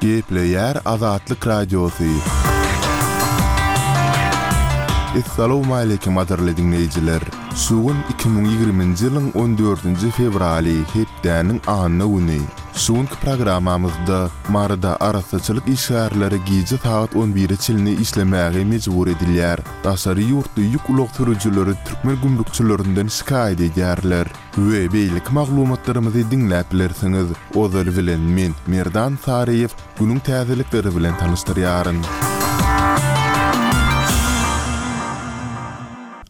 Gepleýär Azatlyk Radiosy. Essalawmaleýkim gadyrly diňleýjiler! Şu gün 2020-nji ýylyň on dördünji fewraly, hepdäniň anna güni. Şu günki programmamyzda Maryda arassaçylyk işgärleri gije sagat on bire çenli işlemäge mejbur edilýär. Daşary ýurtly ýük ulag sürüjileri türkmen gümrükçilerinden şikaýat edýärler. We beýleki maglumatlarymyzy diňläp bilersiňiz. Ozaly bilen men, Merdan Saryýew, günüň täzelikleri bilen tanyşdyrýaryn.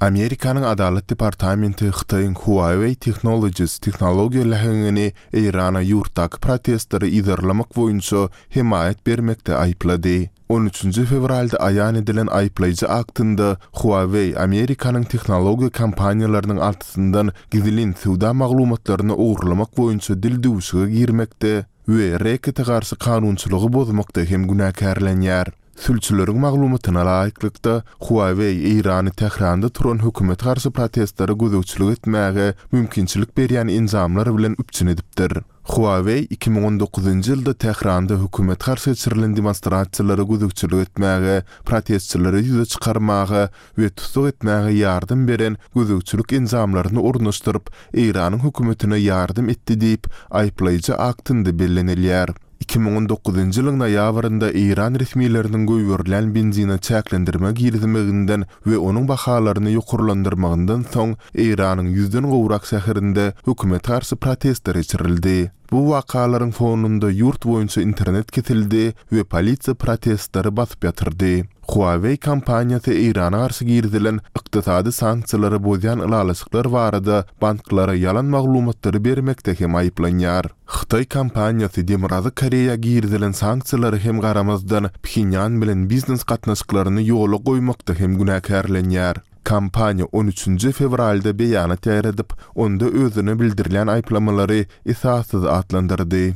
Amerikanyň Adalat departamenti Hytaýyň Huawei Technologies tehnologiýa läheňini Eýrana ýurtdaky protestleri yzarlamak boýunça hemaýat bermekde aýyplady. On üçünji fewralda aýan edilen aýyplaýjy aktynda Huawei Amerikanyň tehnologiýa kompaniýalarynyň altysyndan gizlin söwda maglumatlaryny ogurlamak boýunça dildüwşüge girmekde we rekete garşy kanunçylygy bozmakda hem günäkärlenýär. Sülçüleriň maglumatyna laýyklykda, Huawei Eýrany Tähranda turan hökümete garşy protestlere gözegçilik etmäge mümkinçilik berýän enjamlar bilen üpjün edipdir. Huawei 2019-njy ýylda Tähranda hökümete garşy geçirilen demonstrasiýalara gözegçilik etmäge, protestçileri ýüze çykarmaga we tussag etmäge ýardam beren gözegçilik enjamlaryny ornaşdyryp, Eýranyň hökümetine ýardam etdi diýip, aýyplaýjy aktynda bellenilýär. 2019-njy ýylyň noýabrynda eýran resmileriniň goýberilýän benzine çäklendirme girizmeginden we onuň bahalaryny ýokarlandyrmagyndan soň Eýranyň ýüzden gowrak şäherinde hökümete garşy protestler geçirildi. Bu wakalaryň fonunda ýurt boýunça internet kesildi we polisiýa protestleri basyp ýatyrdy. Huawei kompaniýasy Eýrana garşy girizilen ykdysady sanksiýalary bozýan ylalaşyklar barada banklara ýalan maglumatlary bermekde hem aýyplanýar. Hytaý kompaniýasy Demirgazyk Koreýa girizilen sanksiýalara hem garamazdan, Phenýan bilen biznes gatnaşyklaryny ýola goýmakda hem günäkärlenýär. Kompaniýa on üçünji fewralda beýanat ýaýradyp, onda özüne bildirilýän aýyplamalary esassyz atlandyrdy.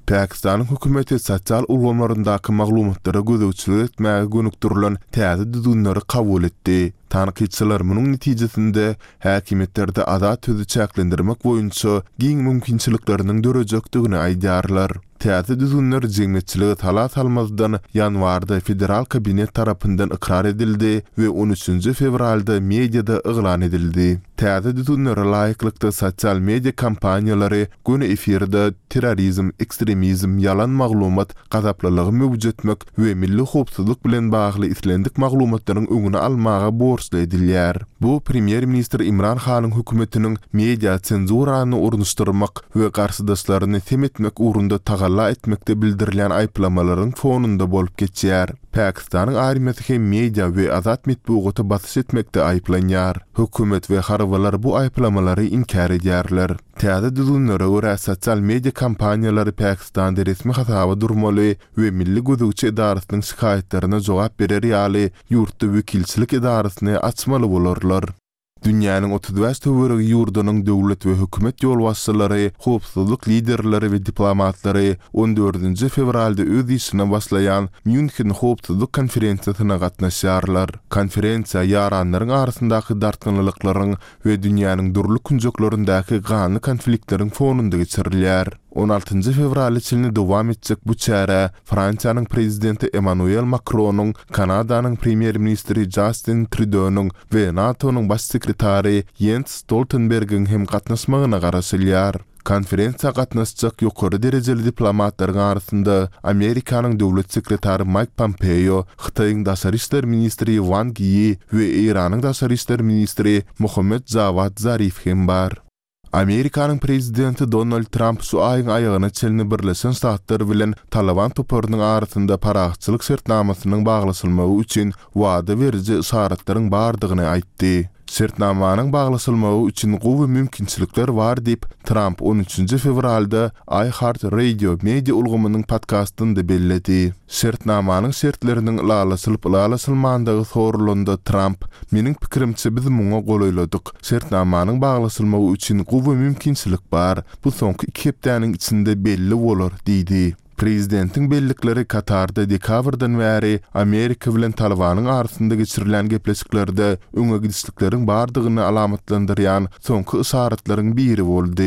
Pakistanyň hökümeti sosial ulgamlaryndaky maglumatlara gözegçilik etmäge gönükdirilen täze düzgünleri kabul etdi. Tankytçylar munuň netijesinde häkimiýetlerde azat sözi çäklendirmek boýunça giň mümkinçilikleriniň dörejekdigini aýdýarlar. Täze düzgünler jemgyýetçilige sala salmazdan ýanwarda Federal kabinet tarapyndan ykrar edildi we on üçünji fewralda mediada yglan edildi. Täze düzgünlere laýyklykda sosial media kompaniýalary göni efirde terrorizm, ekstremizm, ýalan maglumat, gazaplylygy möwjetmek we milli howpsuzlyk bilen bagly islendik maglumatlaryň öňüni almaga borçly edilýär. Bu premýer-ministr Imran Hanyň hökümetiniň media senzurany ornaşdyrmak we garşydaşlaryny sem etmek ugrunda tagalla etmekde bildirilýän aýyplamalaryň fonunda bolup geçýär. Pakistanyň armiýasy hem media we azat metbugata basyş etmekde aýyplanýar. Hökümet we harbylar bu aýyplamalary inkär edýärler. Täze düzgünlere görä, sosial media kompaniýalary Pakistanda resmi hasaba durmaly we milli gözegçi edarasynyň şikaýatlaryna jogap berer ýaly ýurtda wekilçilik edarasyny açmaly bolarlar. Dünýäniň 35 töweregi ýurdunyň döwlet we hökümet ýolbaşçylary, howpsuzlyk liderleri we diplomatlary on dördünji fewralda öz işine başlaýan Mýunhen howpsuzlyk konferensiýasyna gatnaşýarlar. Konferensiýa ýaranlaryň arasyndaky dartgynlylyklaryň we dünýäniň dürli künjeklerindäki ganly konfliktleriň fonunda geçirilýär. On altynjy fewrala çenli dowam etjek bu çärä Fransiýanyň Prezidenti Emmanuel Makronyň, Kanadanyň Premýer-ministri Jastin Trýudonyň we NATO-nyň Baş sekretary Ýens Stoltenbergiň hem gatnaşmagyna garaşylýar. Konferensiýa gatnaşjak ýokary derejeli diplomatlaryň arasynda Amerikanyň Döwlet sekretary Maýk Pompeo, Hytaýyň daşary işler ministri Wang Ýi we Eýranyň daşary işler ministri Mohammed Jawad Zarif hem bar. Amerikanyň prezidenti Donald Tramp şu aýyň aýagyna çenli Birleşen Ştatlar bilen Talyban toparynyň arasynda parahatçylyk şertnamasynyň baglaşylmagy üçin wada beriji yşaratlaryň bardygyny aýtdy. Şertnamanyň baglaşylmagy üçin gowy mümkinçilikler bar diýip, Tramp on üçünji fewralda iHeartRadio media ulgamynyň podkastynda belledi. Şertnamanyň şertleriniň ylalaşylyp-ylalaşylmandygy soralanda Tramp, Meniň pikirimçe biz muňa golaýladyk. Şertnamanyň baglaşylmagy üçin gowy mümkinçilik bar. Bu soňky iki hepdäniň içinde belli bolar diýdi. Prezidentiň bellikleri Katarda dekabrdan bäri Amerika bilen Talybanyň arasynda geçirilýän gepleşiklerde öňe gidişlikleriň bardygyny alamatlandyrýan soňky yşaratlaryň biri boldy.